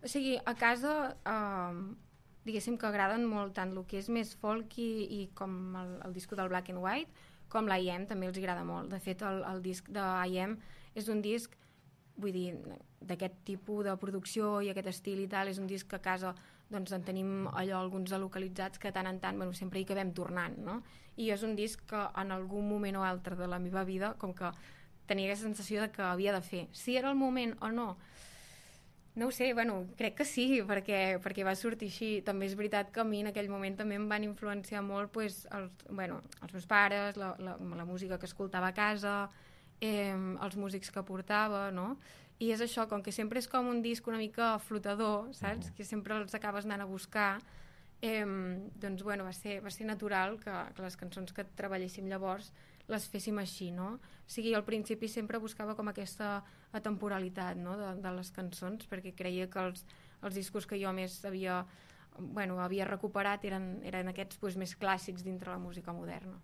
O sigui, a casa, diguéssim que agraden molt tant el que és més folk i com el disco del Black and White, com l'I.M. també els agrada molt. De fet, el disc d'I.M. és un disc, vull dir, d'aquest tipus de producció i aquest estil i tal, és un disc que a casa doncs en tenim allò alguns localitzats que tant en tant, bueno, sempre hi acabem tornant, no? I és un disc que en algun moment o altre de la meva vida com que tenia aquesta sensació de que havia de fer. Si era el moment o no, no ho sé, bueno, crec que sí, perquè va sortir així. També és veritat que a mi en aquell moment també em van influenciar molt pues, els meus pares, la música que escoltava a casa, els músics que portava, no? I és això, com que sempre és com un disc una mica flotador, saps? Que sempre els acabes anant a buscar, doncs bueno, va ser natural que les cançons que treballéssim llavors les féssim així, no? O sigui, al principi sempre buscava com aquesta atemporalitat, no? de les cançons, perquè creia que els discos que jo més havia recuperat eren aquests pues, més clàssics dintre la música moderna.